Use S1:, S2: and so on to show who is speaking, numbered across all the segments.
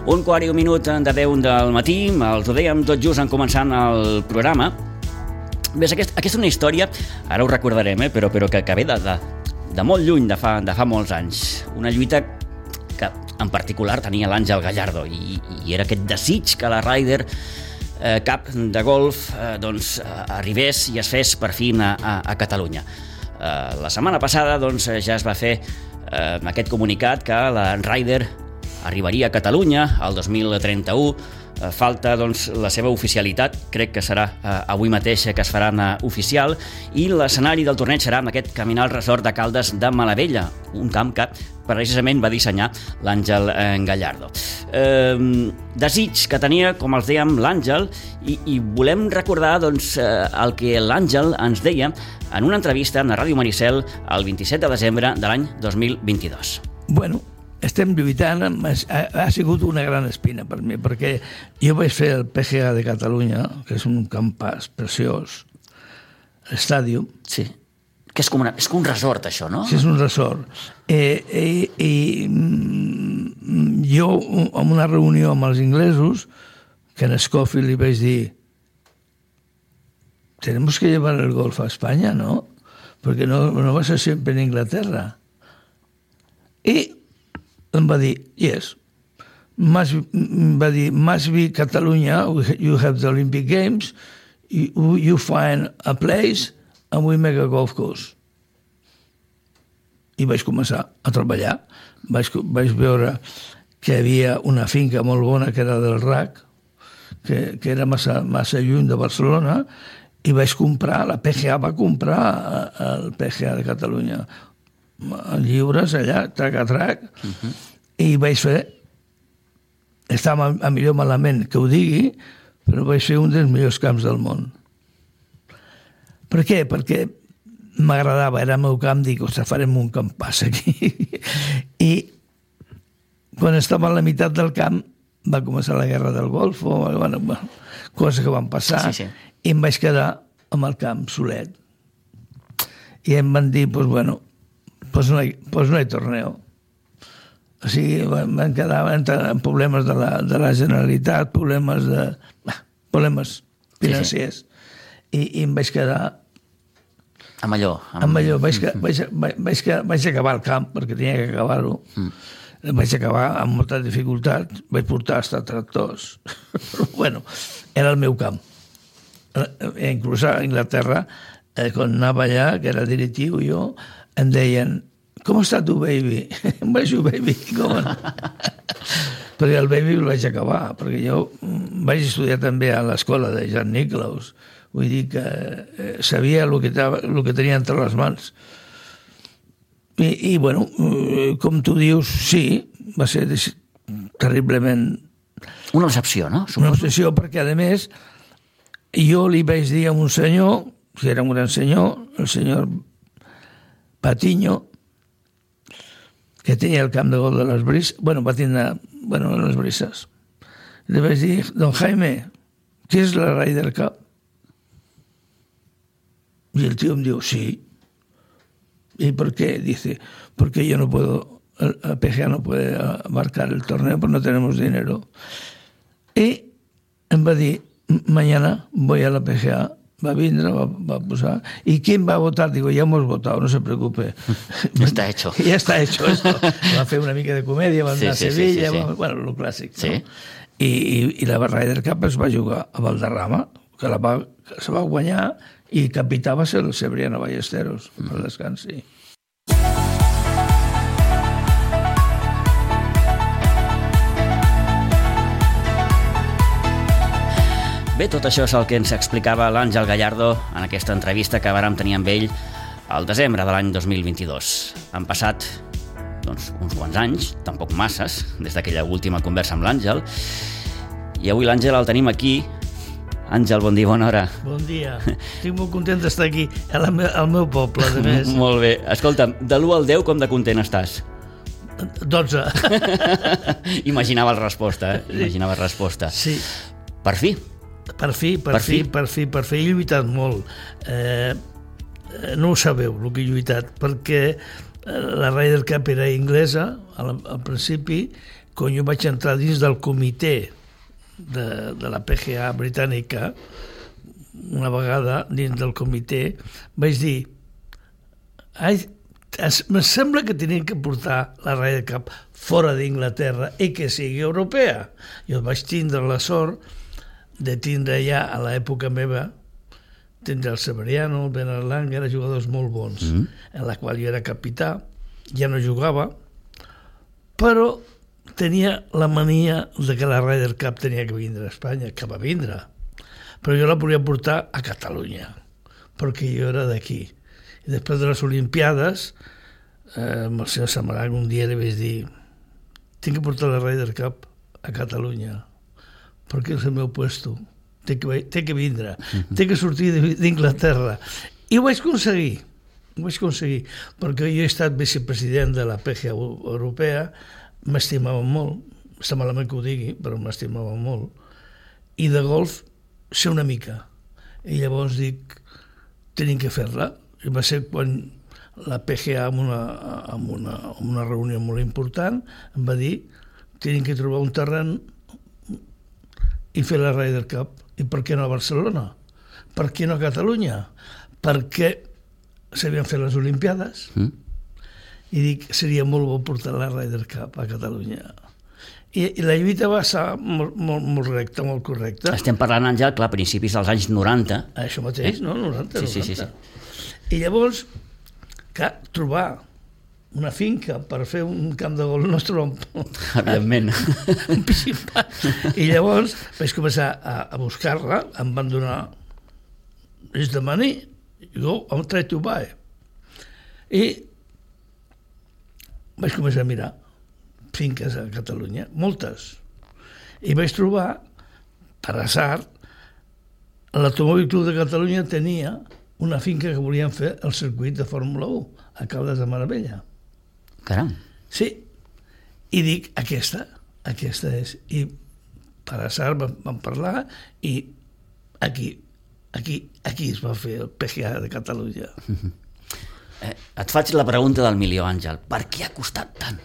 S1: 1:15 de 10 del matí, els ho dèiem tot just en començant el programa. Bé, aquesta és una història, ara ho recordarem, però que ve de molt lluny, de fa molts anys. Una lluita que en particular tenia l'Àngel Gallardo i era aquest desig que la Ryder Cup de golf arribés i es fes per fi a Catalunya. La setmana passada ja es va fer aquest comunicat que la Ryder arribaria a Catalunya el 2031. Falta la seva oficialitat, crec que serà avui mateix que es farà oficial, i l'escenari del torneig serà en aquest Caminal Resort de Caldes de Malavella, un camp que precisament va dissenyar l'Àngel Gallardo. Desig que tenia, com els dèiem, l'Àngel, i volem recordar el que l'Àngel ens deia en una entrevista a Ràdio Maricel el 27 de desembre de l'any 2022.
S2: Bueno, estem lluitant, ha sigut una gran espina per mi, perquè jo vaig fer el PGA de Catalunya, que és un campàs preciós, l'estàdio.
S1: Sí, que és com un resort, això, no?
S2: Sí, és un resort. Jo, en una reunió amb els inglesos, que en Scofield li vaig dir tenemos que llevar el golf a España, ¿no? Porque no va a ser siempre en Inglaterra. I em va dir, yes, must be Catalunya, you have the Olympic Games, you find a place and we make a golf course. I vaig començar a treballar. Vaig veure que hi havia una finca molt bona que era del RAC, que era massa lluny de Barcelona, i vaig comprar, la PGA va comprar el PGA de Catalunya, lliures allà, trac a trac, i vaig fer, estava a millor malament que ho digui, però vaig fer un dels millors camps del món. Per què? Perquè m'agradava, era el meu camp, dic, ostres, farem un campàs aquí. I quan estava a la meitat del camp va començar la guerra del Golfo, coses que van passar, i em vaig quedar amb el camp solet. I em van dir, pues no hi torneo. O sigui, van quedar en problemes de la Generalitat, problemes financers. I em vaig quedar
S1: amb allò.
S2: Vaig acabar el camp, perquè tenia que acabar-ho. Vaig acabar amb molta dificultat. Vaig portar hasta tractors. Però, bueno, era el meu camp. Inclús a Anglaterra, quan anava allà, que era directiu jo, em deien, com està tu, baby? Em vaig dir, baby, com? Perquè el baby el vaig acabar, perquè jo vaig estudiar també a l'escola de Jan Nicklaus. Vull dir que sabia el que tenia entre les mans. I bueno, com tu dius, sí, va ser terriblement...
S1: Una decepció, no?
S2: Una decepció, perquè, a més, jo li vaig dir a un senyor, que era un gran senyor, el senyor Patiño, que tenia el camp de golf de les Brises, va tindre, les Brises. Le vaig dir, don Jaime, ¿qué es la Ryder Cup? Y el tío me dijo, sí. ¿Y por qué? Dice, porque yo no puedo, el PGA no puede abarcar el torneo, pues no tenemos dinero. Y em va dir, mañana voy a la PGA, va vindre, va posar, ¿y quién va a votar? Digo, ya hemos votado, no se preocupe.
S1: Ya está hecho.
S2: Ya está hecho esto. Va fer una mica de comèdia, va anar a Sevilla, bueno, lo clàssic, no? I la Ryder Cup es va jugar a Valderrama, que se va guanyar, i capità va ser el Cebriano Ballesteros, per descansi.
S1: Bé, tot això és el que ens explicava l'Àngel Gallardo en aquesta entrevista que vàrem tenir amb ell al desembre de l'any 2022. Han passat uns quants anys, tampoc masses, des d'aquella última conversa amb l'Àngel, i avui l'Àngel el tenim aquí. Àngel, bon dia, bona hora.
S2: Bon dia. Estic molt content d'estar aquí, al meu poble, a més.
S1: Molt bé. Escolta'm, de l'1 al 10, com de content estàs?
S2: 12.
S1: Imaginava la resposta.
S2: Sí.
S1: Per fi.
S2: Per fi. He lluitat molt. No ho sabeu, el que he lluitat, perquè la Ryder Cup era inglesa al principi, quan jo vaig entrar dins del comitè de la PGA britànica, una vegada dins del comitè, vaig dir me sembla que tenien que portar la Ryder Cup fora d'Inglaterra i que sigui europea. Jo vaig tindre la sort de tindre ja a l'època meva tindre el Severiano, el Bernard Langer, eren jugadors molt bons, en la qual jo era capità, ja no jugava, però tenia la mania de que la Ryder Cup tenia que vindre a Espanya, que va vindre, però jo la volia portar a Catalunya, perquè jo era d'aquí. I després de les Olimpiades, amb el senyor Samaranc un dia li vaig dir tinc que portar la Ryder Cup a Catalunya, perquè és el meu puesto, té que vindre, té que sortir d'Inglaterra. I ho vaig aconseguir, perquè jo he estat vicepresident de la PGA europea, m'estimava molt, està malament que ho digui, però m'estimava molt, i de golf sé una mica. I llavors dic, tenim que fer-la. I va ser quan la PGA, en una reunió molt important, em va dir, tenim que trobar un terreny i fer la Ryder Cup. I per què no a Barcelona? Per què no a Catalunya? Perquè s'havien fet les Olimpiades i dic, seria molt bo portar la Ryder Cup a Catalunya. I la lluita va ser molt recta, molt correcta.
S1: Estem parlant, Àngel, clar, a principis dels anys 90.
S2: Això mateix, no? 90.
S1: Sí.
S2: I llavors, clar, trobar una finca per fer un camp de golf no es troba
S1: evidentment
S2: un principat. I llavors vaig començar a buscar-la, em van donar is the money, go, I'll try to buy. I vaig començar a mirar finques a Catalunya, moltes. I vaig trobar, per azar, l'Automòbil Club de Catalunya tenia una finca que volien fer el circuit de Fórmula 1 a Caldes de Maravella.
S1: Caram.
S2: Sí. I dic, aquesta és. I per azar vam parlar i aquí es va fer el PGA de Catalunya.
S1: Et faig la pregunta del milió, Àngel. Per què ha costat tant?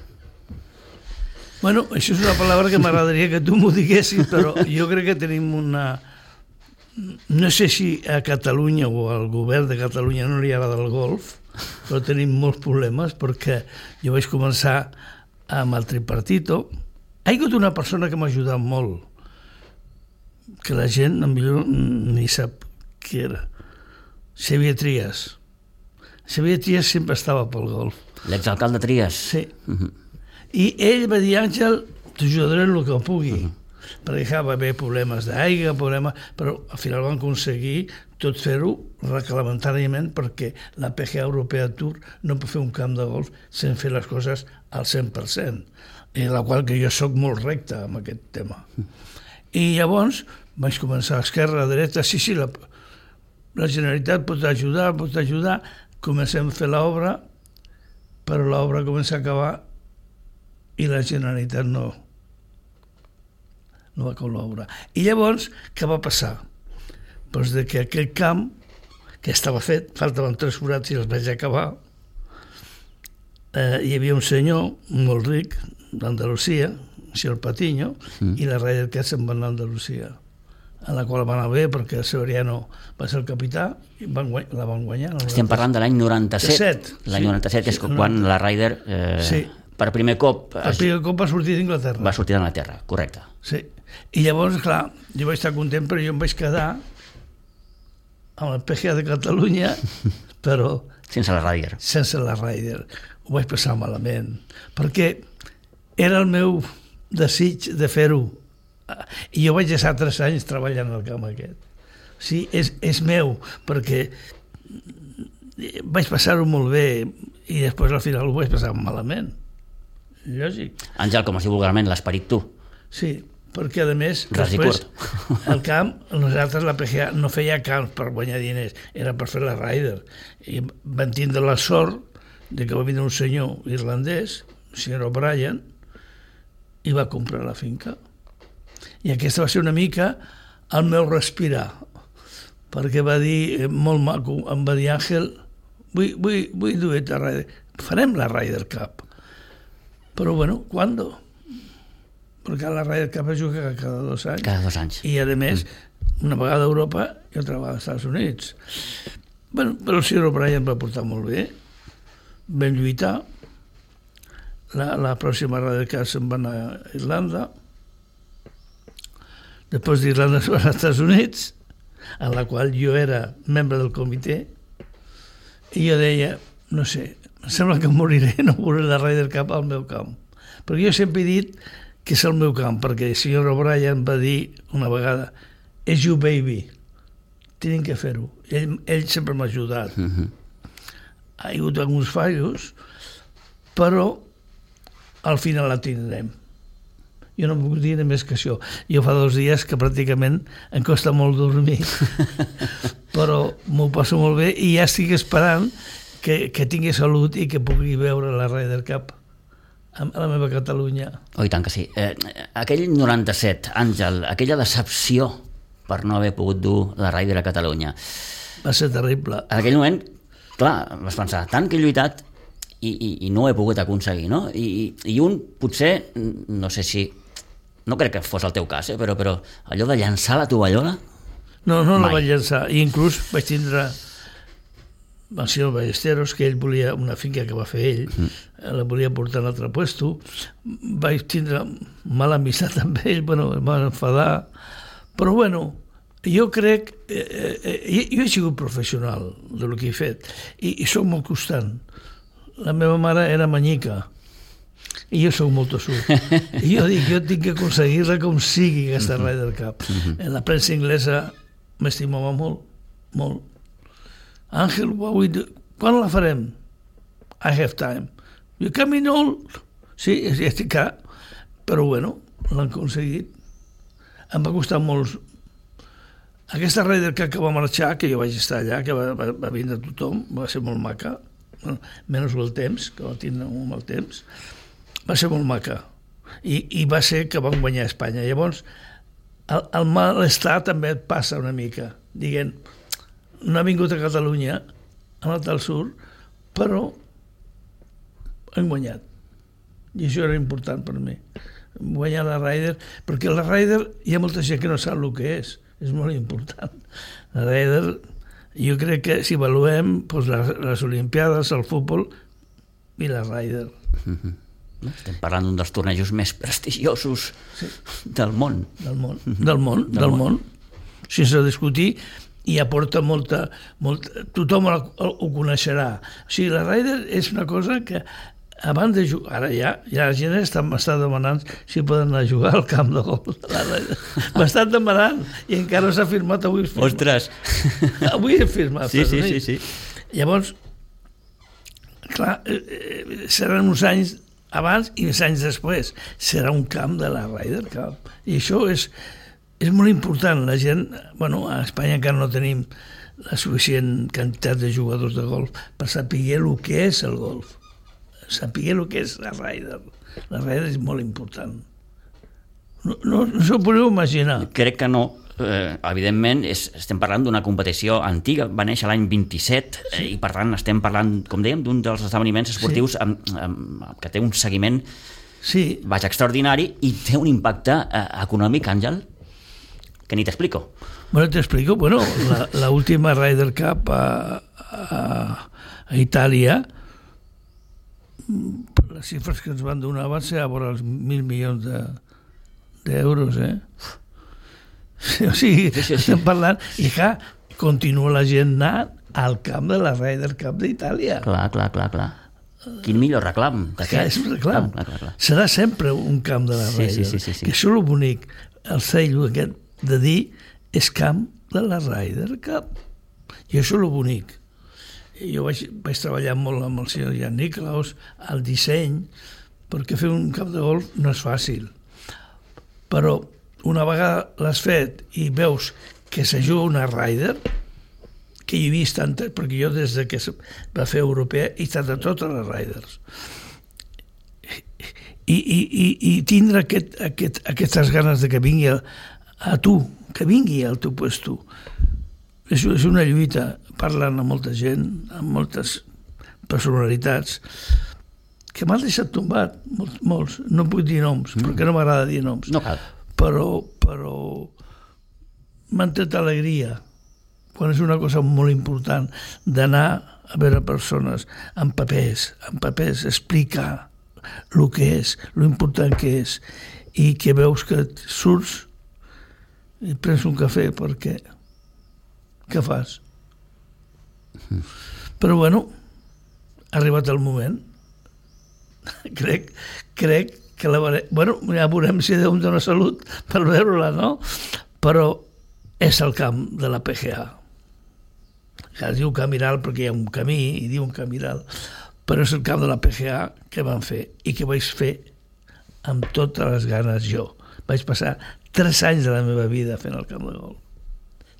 S2: Bueno, això és una paraula que m'agradaria que tu m'ho diguessis, però jo crec que tenim una... No sé si a Catalunya o al govern de Catalunya no li agrada el golf, però tenim molts problemes perquè jo vaig començar amb el tripartito. Ha hagut una persona que m'ha ajudat molt, que la gent millor ni sap qui era. Xavier Trias. Xavier Trias sempre estava pel golf.
S1: L'exalcalde Trias?
S2: Sí. I ell va dir, Àngel, t'ajudaré en el que pugui. Perquè va haver problemes d'aigua, però al final van aconseguir tot fer-ho reglamentàriament perquè la PGA Europea Tour no pot fer un camp de golf sense fer les coses al 100%, en la qual que jo sóc molt recte amb aquest tema. I llavors vaig començar a esquerra, a dreta, sí, la Generalitat pot ajudar, comencem a fer l'obra, però l'obra comença a acabar i la Generalitat no va col·laborar. I llavors, què va passar? Doncs que aquell camp, que estava fet, faltaven 3 forats i els vaig acabar, hi havia un senyor molt ric d'Andalusia, el senyor Patiño, i la Ryder Cup se'n va anar a Andalusia, en la qual va anar bé perquè el Severiano va ser el capità i la van guanyar.
S1: Estem parlant de l'any 97. L'any 97 és quan la Ryder... Per primer cop...
S2: Per primer cop va sortir d'Inglaterra.
S1: Va sortir d'Anglaterra, correcte.
S2: Sí. I llavors, clar, jo vaig estar content, però jo em vaig quedar amb el PGA de Catalunya, però...
S1: Sense la Ryder.
S2: Sense la Ryder. Ho vaig passar malament, perquè era el meu desig de fer-ho. I jo vaig estar 3 anys treballant al camp aquest. Sí, és meu, perquè vaig passar-ho molt bé i després al final ho vaig passar malament. Lògic.
S1: Àngel, com es diu vulgarment, l'esperit tu.
S2: Sí, perquè a més després el camp, nosaltres la PGA no feia camps per guanyar diners, era per fer la Ryder, i van tindre la sort de que va vindre un senyor irlandès, el senyor O'Brien, i va comprar la finca, i aquesta va ser una mica el meu respirar, perquè va dir molt maco, em va dir, Àngel, vull dur a Ryder, farem la Ryder Cup. Però bueno, ¿cuándo? perquè la Ryder Cup es juga cada 2 anys.
S1: Cada 2 anys.
S2: I, a més, una vegada a Europa i altra vegada als Estats Units. Bueno, però el Sir O'Brien va portar molt bé, vam lluitar, la pròxima Ryder Cup se'n va anar a Irlanda, després d'Irlanda se'n va anar als Estats Units, en la qual jo era membre del comitè, i jo deia, no sé, em sembla que moriré, no veuré la Ryder Cup al meu camp. Perquè jo sempre he dit que és el meu camp, perquè el senyor O'Brien va dir una vegada, és you baby, tenen que fer-ho. Ell sempre m'ha ajudat. Ha hagut alguns fallos, però al final la tindrem. Jo no puc dir més que això. Jo fa 2 dies que pràcticament em costa molt dormir, però m'ho passo molt bé i ja estic esperant que tingui salut i que pugui veure la Ryder Cup a la meva Catalunya.
S1: Oh, i tant que sí. Aquell 97, Àngel, aquella decepció per no haver pogut dur la Ryder a Catalunya.
S2: Va ser terrible.
S1: En aquell moment, clar, vas pensar, tant que he lluitat i no ho he pogut aconseguir, no? I un potser, no sé si, no crec que fos el teu cas, però allò de llançar la tovallola?
S2: No la vaig llançar. I inclús vaig tindre el senyor Ballesteros, que ell volia una finca que va fer ell, la volia portar a un altre puesto. Vaig tindre mala amistat amb ell, bueno, em van enfadar. Però bueno, jo crec, jo he sigut professional del que he fet i soc molt constant. La meva mare era manyica i jo soc molt tossut. I jo dic, jo tinc que aconseguir-la com sigui aquesta Ryder Cup. La premsa inglesa m'estimava molt, molt. Àngel, quan la farem? I have time. You coming old? Sí, estic clar, però bueno, l'han aconseguit. Em va costar molt. Aquesta Ryder Cup que va marxar, que jo vaig estar allà, que va vindre tothom, va ser molt maca, menys el temps, que va tindre un mal temps, va ser molt maca. I va ser que van guanyar a Espanya. Llavors, el malestar també et passa una mica, dient, no ha vingut a Catalunya, ha anat al sud, però han guanyat. I això era important per mi. Guanyar la Ryder, perquè la Ryder hi ha molta gent que no sap el que és molt important. La Ryder, jo crec que si avaluem doncs les Olimpiades, el futbol i la Ryder.
S1: Estem parlant d'un dels tornejos més prestigiosos del món.
S2: Del món, sense discutir, i aporta molta tothom ho coneixerà. O sigui, la Ryder és una cosa que abans de jugar, ara ja la gent m'està demanant si poden anar a jugar al camp de golf. M'estan demanant i encara s'ha firmat avui.
S1: Ostres!
S2: Avui he firmat.
S1: Sí.
S2: Llavors, clar, seran uns anys abans i uns anys després. Serà un camp de la Ryder Cup. I això és molt important. La gent, bueno, a Espanya encara no tenim la suficient quantitat de jugadors de golf per saber el que és el golf. Saber el que és la Ryder. La Ryder és molt important. No s'ho podeu imaginar.
S1: Crec que no. Evidentment, estem parlant d'una competició antiga, va néixer l'any 27 i per tant estem parlant, com dèiem, d'un dels esdeveniments esportius que té un seguiment extraordinari i té un impacte econòmic, Àngel, que ni t'explico.
S2: Bueno, t'explico. Bueno, la última Ryder Cup a Itàlia, les xifres que ens van donar van ser a vora els 1.000 milions d'euros, O sigui, estem parlant, i clar, continua la gent anant al camp de la Ryder Cup d'Itàlia.
S1: Clar. Quin millor reclam.
S2: És un reclam. Clar. Serà sempre un camp de la Ryder.
S1: Sí.
S2: Que això és el bonic. El sell aquest de dir és camp de la Ryder Cup. I això és el bonic. Jo vaig treballar molt amb el senyor Jan Nicklaus, al disseny, perquè fer un camp de golf no és fàcil. Però una vegada l'has fet i veus que se juga una Ryder, que hi he vist tantes, perquè jo des que es va fer europea he estat a totes les Ryders. I tindre aquestes ganes de que vingui a tu, que vingui al teu puesto, és una lluita, parlant amb molta gent, amb moltes personalitats, que m'han deixat tombat, molts, no puc dir noms, perquè no m'agrada dir noms.
S1: No cal.
S2: Però m'han tret alegria, quan és una cosa molt important, d'anar a veure persones amb papers, explicar el que és, l'important que és, i que veus que surts i prens un cafè perquè què fas? Però bueno, ha arribat el moment. crec que la veurem. Bueno, ja veurem si Déu em dona salut per veure-la, no? Però és el camp de la PGA. Es diu Camiral perquè hi ha un camí i diuen Camiral, però és el camp de la PGA que van fer i que vaig fer amb totes les ganes jo. Vaig passar 3 anys de la meva vida fent el camp de golf.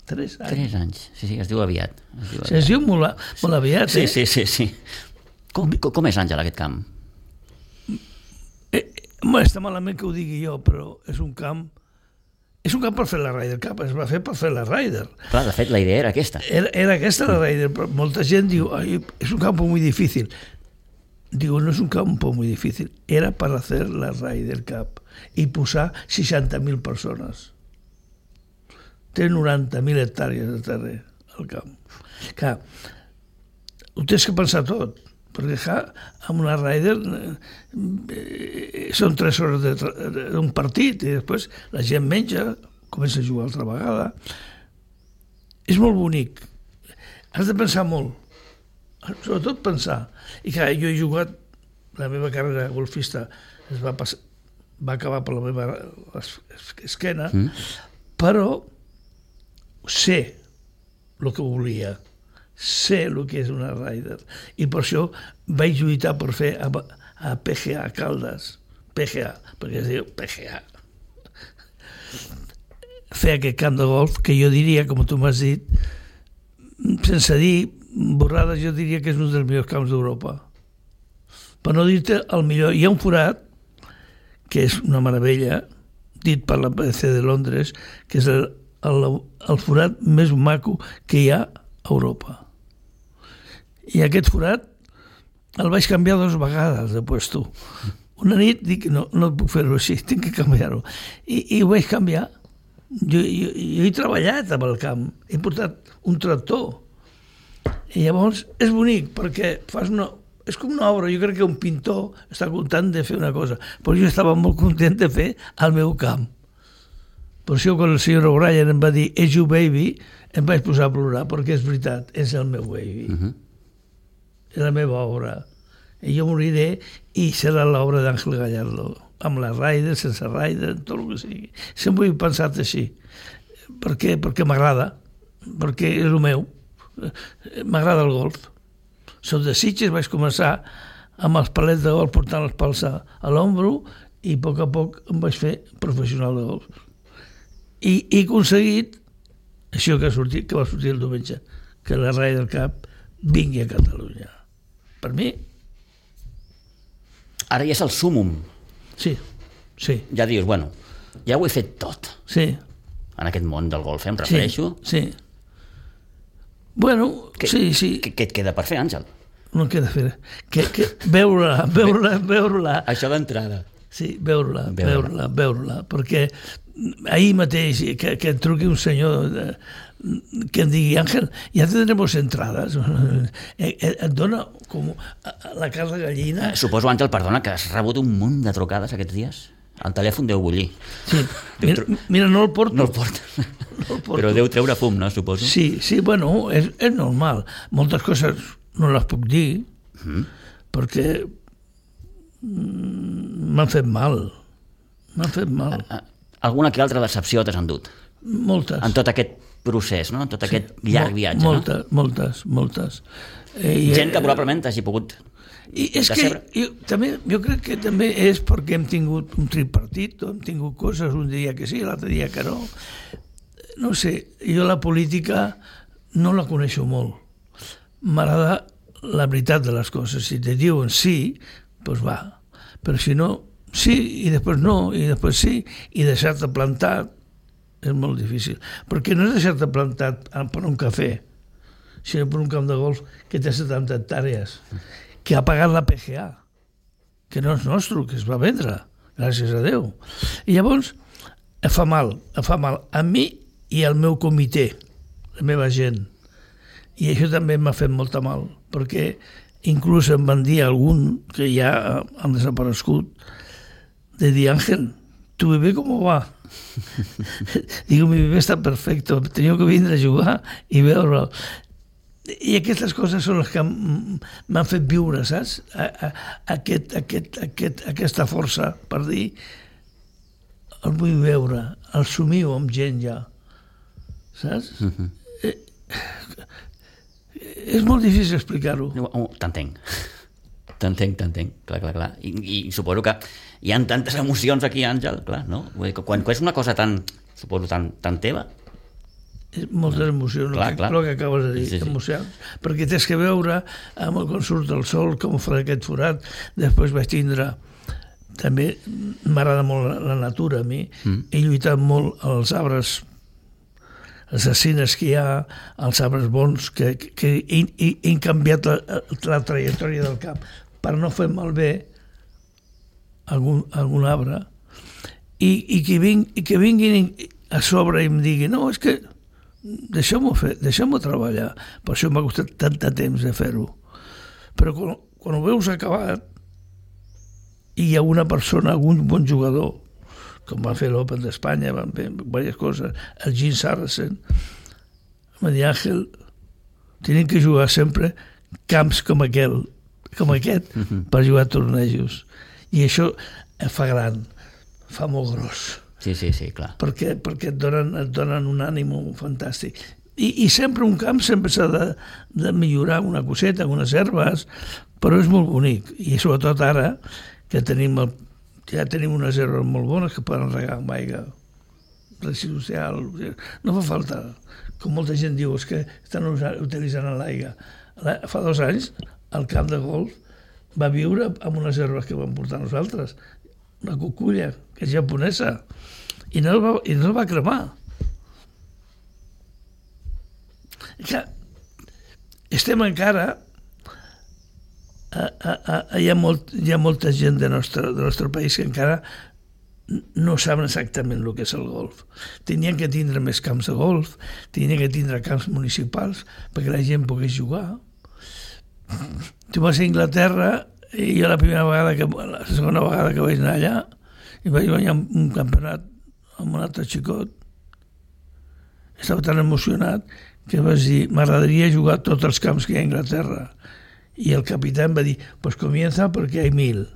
S2: 3 anys.
S1: 3 anys, sí, es diu aviat.
S2: Es diu molt aviat,
S1: sí, sí. Com és, Àngel, aquest camp?
S2: Està malament que ho digui jo, però és un camp per fer la Ryder Cup, es va fer per fer la Ryder.
S1: Clar, de fet, la idea era aquesta.
S2: Era aquesta la Ryder, però molta gent diu, és un campo muy difícil. Digo, no es un campo muy difícil, era para hacer la Ryder Cup i posar 60.000 persones. Té 90.000 hectàrees de terra al camp. Clar, ho tens que pensar tot, perquè amb una Ryder són 3 hores d'un partit i després la gent menja, comença a jugar altra vegada. És molt bonic. Has de pensar molt, sobretot pensar. I clar, jo he jugat, la meva carrera golfista va acabar per la meva esquena, però sé el que volia, sé el que és una Ryder, i per això vaig lluitar per fer a PGA Caldes, PGA, perquè es diu PGA, fer aquest camp de golf que jo diria, com tu m'has dit, sense dir borrades, jo diria que és un dels millors camps d'Europa. Per no dir-te el millor, hi ha un forat que és una meravella, dit per la PDC de Londres, que és el forat més maco que hi ha a Europa. I aquest forat el vaig canviar 2 vegades de puesto. Una nit dic, no et puc fer-ho així, tinc que canviar-ho. I ho vaig canviar. Jo he treballat amb el camp, he portat un tractor. I llavors és bonic perquè fas és com una obra. Jo crec que un pintor està content de fer una cosa, però jo estava molt content de fer el meu camp. Per això quan el senyor O'Brien em va dir "és your baby", em vaig posar a plorar, perquè és veritat, és el meu baby. És la meva obra. I jo moriré i serà l'obra d'Àngel Gallardo, amb la Ryder, sense Ryder, tot el que sigui. Sempre ho he pensat així. Per què? Perquè m'agrada, perquè és el meu. M'agrada el golf. Soc de Sitges, vaig començar amb els palets de golf portant els pals a l'ombro i a poc em vaig fer professional de golf. I he aconseguit això que va sortir el diumenge, que la Ryder Cup vingui a Catalunya. Per mi...
S1: Ara ja és el súmum.
S2: Sí.
S1: Ja dius, bueno, ja ho he fet tot.
S2: Sí.
S1: En aquest món del golf, em refereixo.
S2: Sí. Bueno, sí.
S1: Què et queda per fer, Àngel?
S2: No em queda fer. Veure-la.
S1: Això d'entrada.
S2: Sí, veure-la, perquè ahir mateix que et truqui un senyor que em digui, Àngel, ja tendremos entrades. Et dona com la carn de gallina.
S1: Suposo, Àngel, perdona, que has rebut un munt de trucades aquests dies. El telèfon deu bullir.
S2: Sí, mira, no el porto.
S1: No el porto. Però deu treure fum, no, suposo?
S2: Sí, bueno, és normal. Moltes coses no les puc dir, perquè m'han fet mal.
S1: Alguna que altra decepció t'has endut?
S2: Moltes.
S1: En tot aquest procés, no? En tot aquest llarg viatge, no?
S2: Moltes.
S1: Gent que probablement t'hagi pogut...
S2: I és que jo crec que també és perquè hem tingut un tripartit, hem tingut coses, un dia que sí, l'altre dia que no. No sé, jo la política no la coneixo molt. M'agrada la veritat de les coses. Si te diuen sí, doncs va. Però si no, sí, i després no, i després sí, i deixar-te plantat és molt difícil. Perquè no és deixar-te plantat per un cafè, sinó per un camp de golf que té 70 hectàrees, que ha pagat la PGA. que no és nostre, que es va vendre, gràcies a Déu. I llavors fa mal a mi i al meu comitè, la meva gent. I això també m'ha fet molta mal, perquè inclús em van dir algun que ja han desaparegut, de dir, Ángel, ¿tu bebé cómo va? Digo, mi bebé está perfecto, tenia que vindre a jugar i veure'l. I aquestes coses són les que m'han fet viure, saps? Aquesta força per dir el vull veure, el somio amb gent ja, saps? És molt difícil explicar-ho.
S1: T'entenc, clar. I suposo que hi ha tantes emocions aquí, Àngel, clar, no? Quan és una cosa tan teva,
S2: moltes emocions, el que acabes de dir, emocions, perquè tens que veure amb el com surt el sol, com fa aquest forat. Després vaig tindre, també m'agrada molt la natura a mi, he lluitat molt als arbres, les assassines que hi ha, els arbres bons, que he canviat la trajectòria del camp per no fer malbé algun arbre, i que vinguin a sobre i em diguin, no, és que deixem-ho treballar. Per això m'ha costat tant de temps de fer-ho. Però quan ho veus acabat i hi ha una persona, algun bon jugador, com va fer l'Open d'Espanya, van fer diverses coses, el Gene Sarazen, em va dir, Àngel, tenen que jugar sempre camps com aquest per jugar a tornejos. I això fa gran, fa molt gros.
S1: Sí, clar.
S2: Perquè et donen un ànimo fantàstic. I sempre un camp sempre s'ha de millorar una coseta, unes herbes, però és molt bonic. I sobretot ara, que ja tenim unes herbes molt bones que poden regar amb aigua residual. No fa falta, com molta gent diu, és que estan utilitzant l'aigua. Fa 2 anys, el camp de golf va viure amb unes herbes que vam portar nosaltres, una cuculla, que és japonesa, i no el va cremar. Que estem encara... Hi ha molta gent del nostre país que encara no saben exactament el que és el golf. Tenien que tindre més camps de golf, tenien que tindre camps municipals perquè la gent pogués jugar. Tu vas a Inglaterra i jo la segona vegada que vaig anar allà i vaig guanyar un campionat amb un altre xicot, estava tan emocionat que vaig dir, m'agradaria jugar a tots els camps que hi ha a Inglaterra. I el capità em va dir, pues comienza porque hay 1000.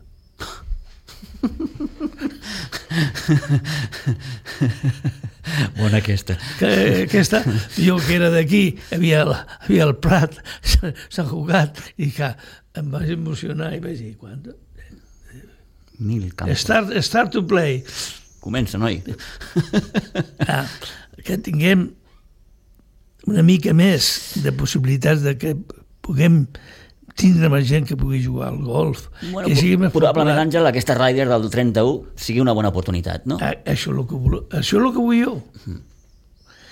S1: Bona aquesta.
S2: Jo que era d'aquí, havia el Prat, Sant Cugat, i que em vaig emocionar i vaig dir, quant?
S1: 1000 campos.
S2: Start to play.
S1: Comença, noi.
S2: Que tinguem una mica més de possibilitats de que puguem tindre més gent que pugui jugar al golf.
S1: Bueno, probablement, Àngel, aquesta Ryder del 31 sigui una bona oportunitat, no?
S2: Això és el que vull jo.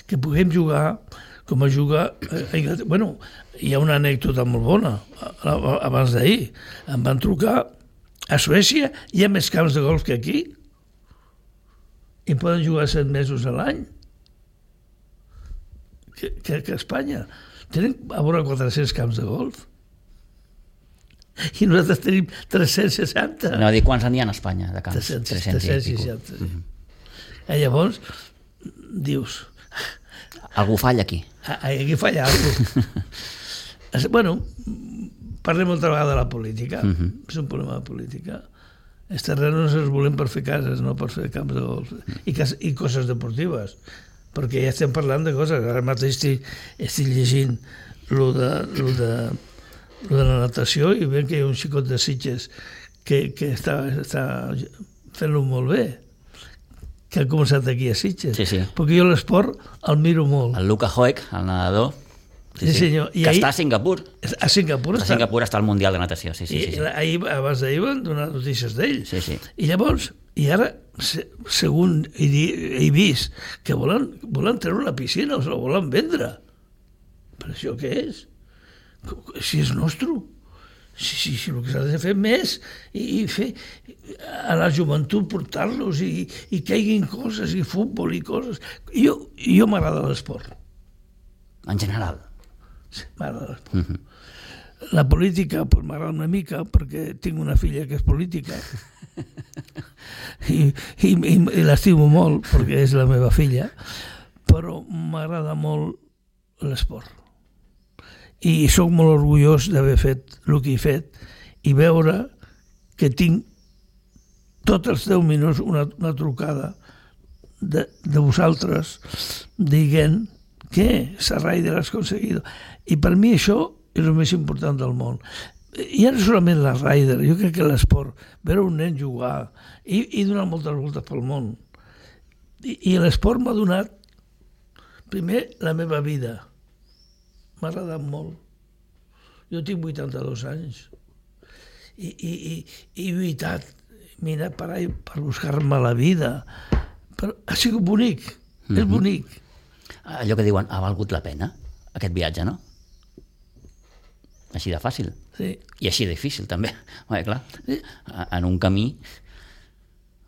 S2: Que puguem jugar com a jugar a Inglaterra. Bueno, hi ha una anècdota molt bona. Abans d'ahir em van trucar a Suècia, hi ha més camps de golf que aquí i poden jugar 7 mesos a l'any que a Espanya. Tenen a vora 400 camps de golf i nosaltres tenim 360.
S1: No, dir quants n'hi ha a Espanya de camps?
S2: 360. Llavors dius,
S1: algú falla aquí.
S2: Aquí falla algú. Bueno, parlem molta vegada de la política. És un problema de política. Els terrenos els volem per fer cases, no per fer camps de golf. I coses deportives. Perquè ja estem parlant de coses. Ara mateix estic llegint lo de la natació i veiem que hi ha un xicot de Sitges que està fent-lo molt bé, que ha començat aquí a Sitges.
S1: Sí.
S2: Perquè jo l'esport el miro molt.
S1: El Luka Hoek, el nedador,
S2: sí, senyor.
S1: Que està a Singapur.
S2: A Singapur
S1: està al Mundial de Natació. Sí.
S2: Abans d'ahir van donar notícies d'ell.
S1: Sí.
S2: I llavors, ara, segons he vist, que volen treure la piscina, o la volen vendre. Per això què és? Si és nostre. Sí, el que s'ha de fer més i fer a la joventut portar-los i caiguin coses i futbol i coses. Jo m'agrada l'esport.
S1: En general?
S2: Sí, m'agrada l'esport. La política pues, m'agrada una mica perquè tinc una filla que és política i l'estimo molt perquè és la meva filla, però m'agrada molt l'esport. I sóc molt orgullós d'haver fet el que he fet i veure que tinc tots els 10 minuts una trucada de vosaltres dient que la Ryder has aconseguit. I per mi això és el més important del món. Ja no solament la Ryder, jo crec que l'esport, veure un nen jugar i donar moltes voltes pel món. I l'esport m'ha donat primer la meva vida. M'ha agradat molt. Jo tinc 82 anys i he lluitat, m'he anat per ahí per buscar-me la vida. Però ha sigut bonic, és bonic.
S1: Allò que diuen, ha valgut la pena, aquest viatge, no? Així de fàcil.
S2: Sí.
S1: I així de difícil, també. Home, clar, en un camí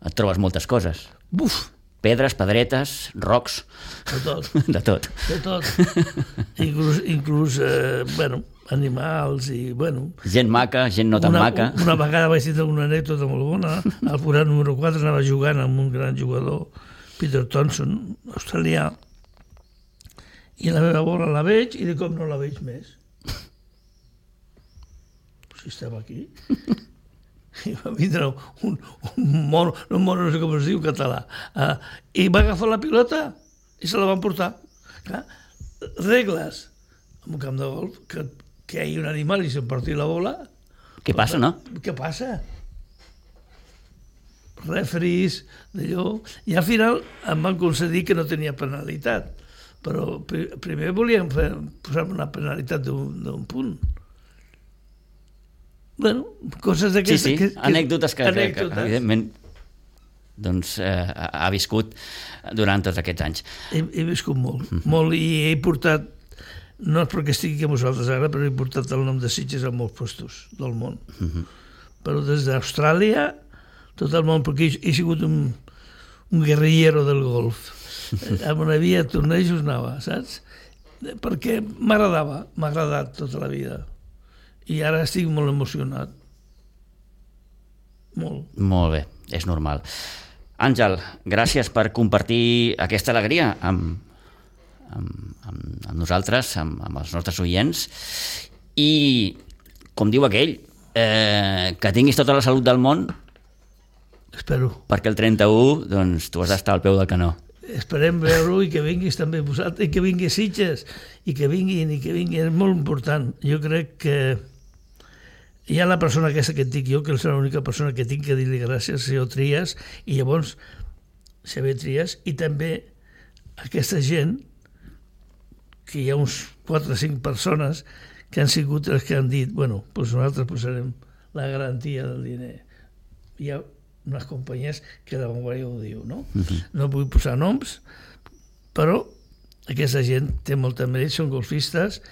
S1: et trobes moltes coses.
S2: Buf!
S1: Pedres, pedretes, rocs...
S2: De tot.
S1: De tot.
S2: De tot. Inclús animals i,
S1: Gent maca, gent no tan maca.
S2: Una vegada vaig tenir una anècdota molt bona. Al forat número 4 anava jugant amb un gran jugador, Peter Thompson, australià, i la meva bola la veig i de cop no la veig més. Si estava aquí... I va vindre un mono, no sé com es diu en català, i va agafar la pilota i se la van portar. Clar, regles en un camp de golf, que hi ha un animal i se'n porti la bola.
S1: Què passa, no?
S2: Què passa? Referees, d'allò... I al final em van concedir que no tenia penalitat, però primer volien posar-me una penalitat d'un punt. Coses d'aquestes...
S1: Sí, anècdotes que evidentment doncs, ha viscut durant tots aquests anys.
S2: He viscut molt, i he portat, no és perquè estigui aquí amb vosaltres ara, però he portat el nom de Sitges a molts postos del món. Però des d'Austràlia, tot el món, perquè he sigut un guerrillero del golf. On hi havia tornejos anava, saps? Perquè m'agradava, m'ha agradat tota la vida. I ara estic molt emocionat. Molt.
S1: Molt bé, és normal. Àngel, gràcies per compartir aquesta alegria amb nosaltres, amb els nostres oients, i, com diu aquell, que tinguis tota la salut del món.
S2: Espero.
S1: Perquè el 31, doncs, tu has d'estar al peu del canó.
S2: Esperem veure-ho i que vinguis també vosaltres, i que vingui Sitges, i que vinguin, és molt important. Jo crec que hi ha la persona aquesta que et dic jo, que és l'única persona que tinc que dir-li gràcies, senyor Trias, i llavors Xavier Trias, i també aquesta gent, que hi ha uns 4 o 5 persones que han sigut els que han dit, doncs nosaltres posarem la garantia del diner. Hi ha unes companyies que de Vanguardia ho diu, no? No vull posar noms, però aquesta gent té molta mèrit, són golfistes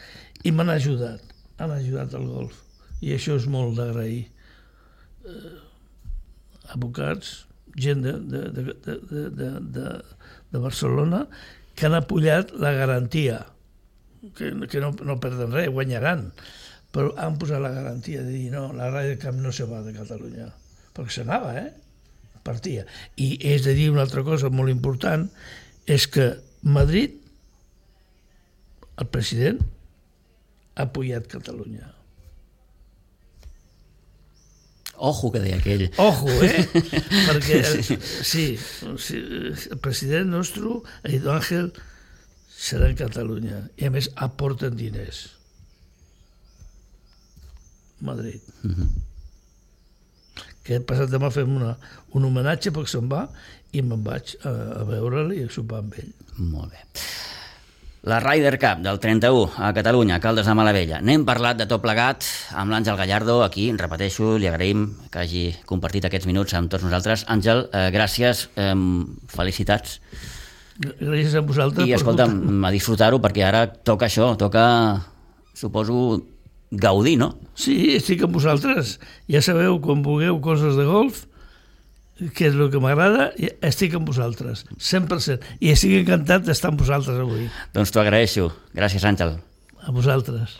S2: i m'han ajudat al golf. I això és molt d'agrair. Advocats, gent de Barcelona, que han apoyat la garantia, que no perden res, guanyaran, però han posat la garantia de dir no, la Ryder Cup no se va de Catalunya, perquè s'anava, partia. I és de dir una altra cosa molt important, és que Madrid, el president, ha apoyat Catalunya.
S1: Ojo, que deia aquell.
S2: Ojo, perquè el president nostre, Edu Ángel, serà en Catalunya. I a més aporten diners. Madrid. Que he passat demà fem un homenatge perquè se'n va i me'n vaig a veure'l i a sopar amb ell.
S1: Molt bé. La Ryder Cup del 31 a Catalunya, Caldes de Malavella. N'hem parlat de tot plegat amb l'Àngel Gallardo, aquí, repeteixo, li agraïm que hagi compartit aquests minuts amb tots nosaltres. Àngel, gràcies, felicitats.
S2: Gràcies a vosaltres.
S1: I escolta'm, a disfrutar-ho, perquè ara toca això, suposo, gaudir, no?
S2: Sí, estic amb vosaltres. Ja sabeu, quan vulgueu coses de golf, que és el que m'agrada, estic amb vosaltres, 100%. I estic encantat d'estar amb vosaltres avui.
S1: Doncs t'ho agraeixo. Gràcies, Àngel.
S2: A vosaltres.